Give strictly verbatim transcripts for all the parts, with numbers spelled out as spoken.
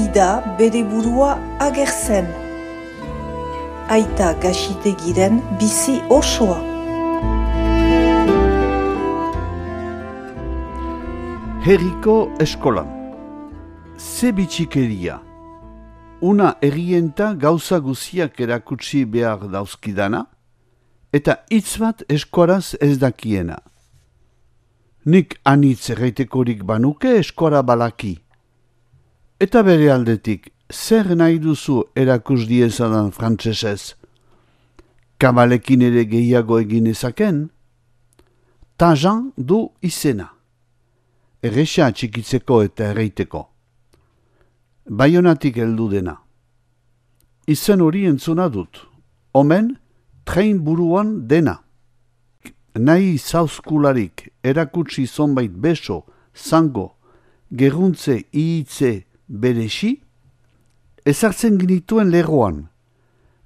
ida bere burua agertzen. Aita Gaxitegiren bizi osoa. Herriko eskolan. Ze bitxikeria. Una errienta gauza guziak erakutsi behar dauzkidana, eta hitz bat eskoraz ez dakiena. Nik anitz erraitekorik banuke eskora balaki. Eta bere aldetik, zer nahi duzu erakus diezadan frantsesez? Kabalekin ere gehiago egin ezaken? Tajan du izena. Erresa txikitzeko eta erraiteko. Baionatik heldu dena. Izen hori entzuna dut. Omen, train buruan dena. Nahi zauzkularik erakutsi zonbait beso, zango, gerruntze ihitze beresi, ezartzen ginituen lerroan.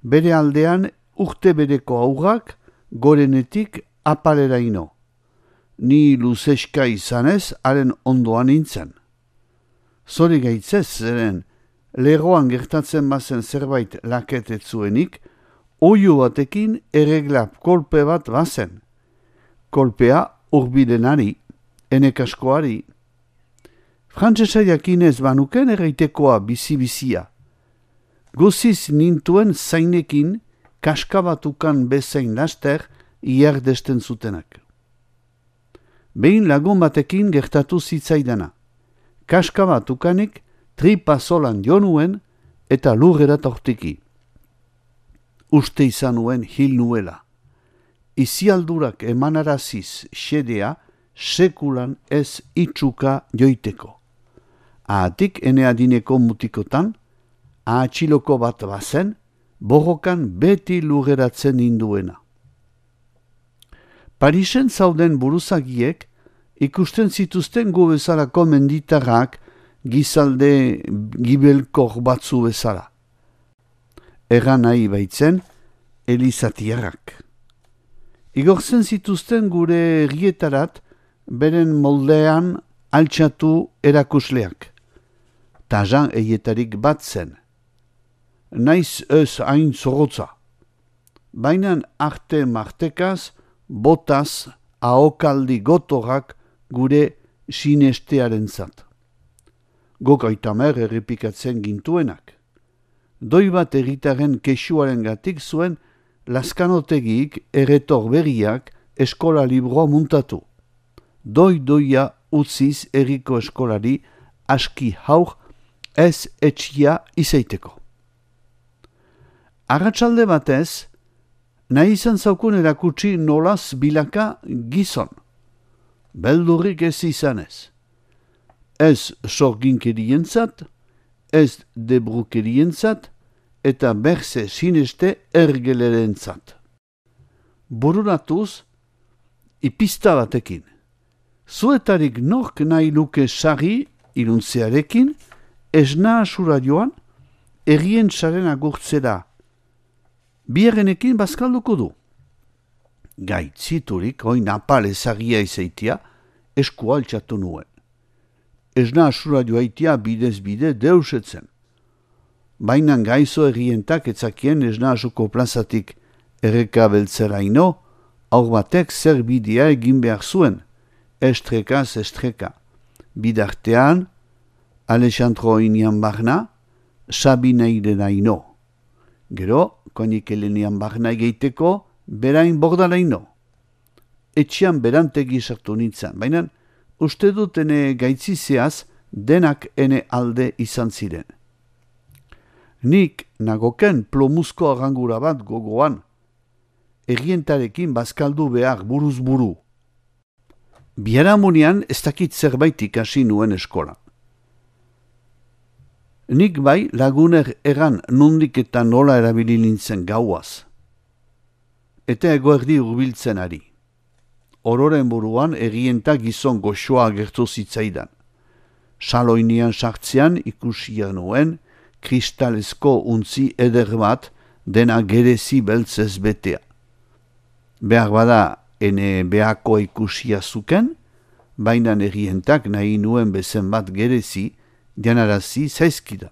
Bere aldean urte bereko aurrak gorenetik apaleraino. Ni luzeska izanez haren ondoan nintzen. Zori gaitzez zeren, lerroan gertatzen bazen zerbait laketetzuenik, oio batekin erreglap kolpe bat bazen. Kolpea urbilenari, enekaskoari. Frantsesa jakinez banuken erraitekoa bizi-bizia. Guziz nintuen zainekin kaskabatukan bezain laster iardesten zutenak. Behin lagun batekin gertatu zitzaidana. Kaskabatukanik tripa zolan jo nuen eta lurrera tortiki. Uste izan nuen hil nuela. Izialdurak emanaraziz xedea sekulan ez itxuka joiteko. Ahatik ene adineko mutikotan, ahatxiloko bat bazen, borrokan beti lurreratzen ninduena. Parisen zauden buruzagiek ikusten zituzten gu bezalako menditarrak gizalde gibelkor batzu bezala. Erran nahi baitzen, elizatiarrak. Igortzen zituzten gure errietarat, beren moldean altxatu erakusleak. Tajan eietarik bat zen. Naiz ez hain zorotza. Bainan arte martekaz, botaz, ahokaldi gotorrak gure sinestearen zat. Gokaitamer errepikatzen gintuenak. Doi bat erritaren kexuaren gatik zuen laskanotegik erretor berriak eskola libroa muntatu. Doi-doia utziz erriko eskolari aski haur ez etxia izaiteko. Arratsalde batez, nahi izan zaukun erakutsi nolaz bilaka gizon. Beldurrik ez izanez. Ez sorginkerientzat, ez debrukerientzat, eta berze sineste ergelerentzat. Bururatuz, ipista batekin. Zuetarik nork nahi luke sari iruntzearekin, esna asura joan, errien saren agurtzera. Biarrenekin bazkalduko du. Gaitziturik, oin apal ezagia izaitia, esku altxatu nuen. Esna asura joaitia bidez bide deusetzen. Bainan gaizo errientak etzakien esna asuko plazatik erreka beltzeraino, aur batek zer bidea egin behar zuen, estrekaz estreka. Bidartean, Alexandro inian barna, Sabina irenaino. Gero, konik elenian barna egeiteko, berain bordalaino. Etxian berantegi sartu nintzen, baina uste dut ene gaitzizeaz denak ene alde izan ziren. Nik nagoken plomuzko arrangura bat gogoan, errientarekin bazkaldu behar buruz buru. Biharamunean ez dakit zerbait ikasi nuen eskola. Nik bai laguner eran nondik eta nola erabili nintzen gauaz. Eta egoerdi hurbiltzen ari. Ororen buruan errienta gizon goxoa agertu zitzaidan. Saloinian sartzean ikusia nuen, kristalezko untzi eder bat dena gerezi beltzez betea. Behar bada ene behako ikusia zuken, baina errientak nahi nuen bezen bat gerezi, janarazi zaizkidan.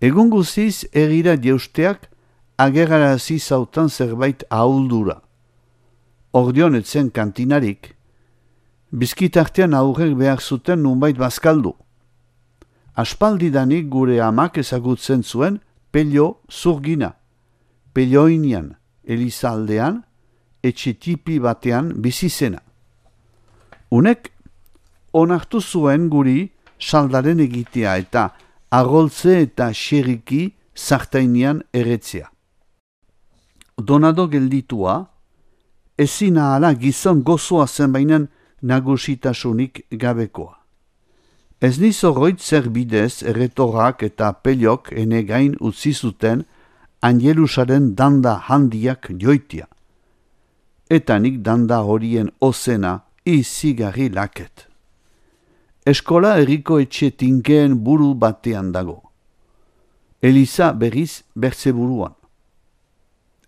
Egun guziz egira jeusteak agerarazi zautan zerbait ahuldura. Ordion etzen kantinarik, bizkitartean aurrek behar zuten nunbait bazkaldu. Aspaldidanik gure amak ezagutzen zuen pelio zurgina, pelioinian, elizaldean, etxe tipi batean bizizena. Unek onartu zuen guri saldaren egitea eta agoltze eta xerriki zartainian erretzea. Donado gelditua, ezin ahala gizon gozoa zen bainan nagusitasunik gabekoa. Ez nizoroit zer bidez erretorrak eta peliok ene gain utzi zuten Angelusaren danda handiak joitia. Eta nik danda horien ozena izigarri laket. Eskola herriko etxe tinkeen buru batean dago. Eliza berriz bertze buruan.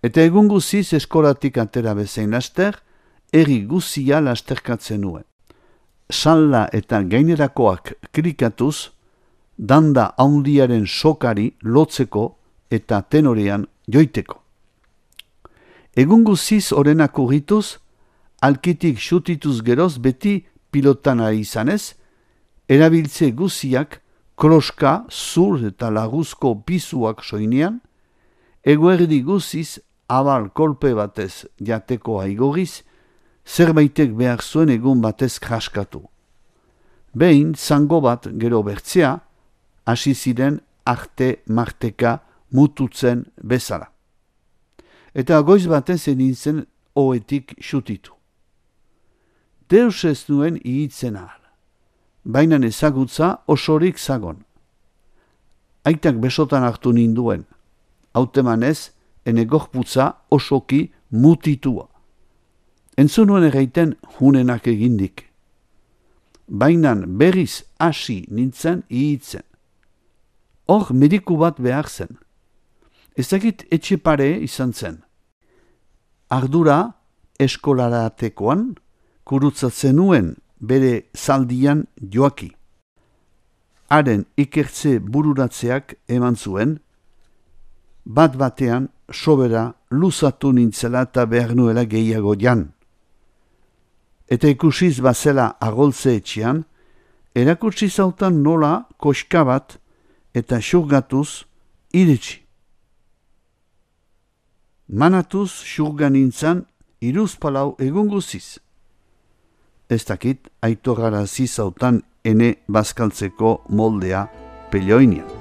Eta egun guziz eskolatik atera bezain laster, herri guzia lasterkatzen nuen. Salda eta gainerakoak klikatuz, danda handiaren sokari lotzeko eta tenorean joiteko. Egun guziz orenak urrituz, alkitik xutituz geroz beti pilotan ari izanez, erabiltze guziak kloska, zur eta laguzko pizuak soinean, eguerdi guziz abal kolpe batez jateko aigoriz, zerbaitek behar zuen egun batez kraskatu. Behin, zango bat gero bertzea, hasi ziren arte marteka mututzen bezala. Eta goiz batez enintzen oetik xutitu. Deus ez nuen ihitzen ahal, baina ezagutza osorik zagon. Aitak besotan hartu ninduen, hautemanez, ene gorputza osoki mutitua. Entzun nuen erraiten hunenak egindik. Bainan berriz hasi nintzen ihitzen. Hor mediku bat behar zen. Ezagit etxe pare izan zen. Ardura eskolaratekoan kurutzatzen nuen bere zaldian joaki. Haren ikertze bururatzeak eman zuen, bat batean sobera luzatu nintzela eta behar nuela gehiago jan. Eta ikusiz bazela agoltze etxean, erakutsi zautan nola koska bat eta xurgatuz iritsi. Manatuz xurgan nintzan iruz palau egun guziz. Ez dakit aitorrarazi zautan ene bazkaltzeko moldea pelioinean.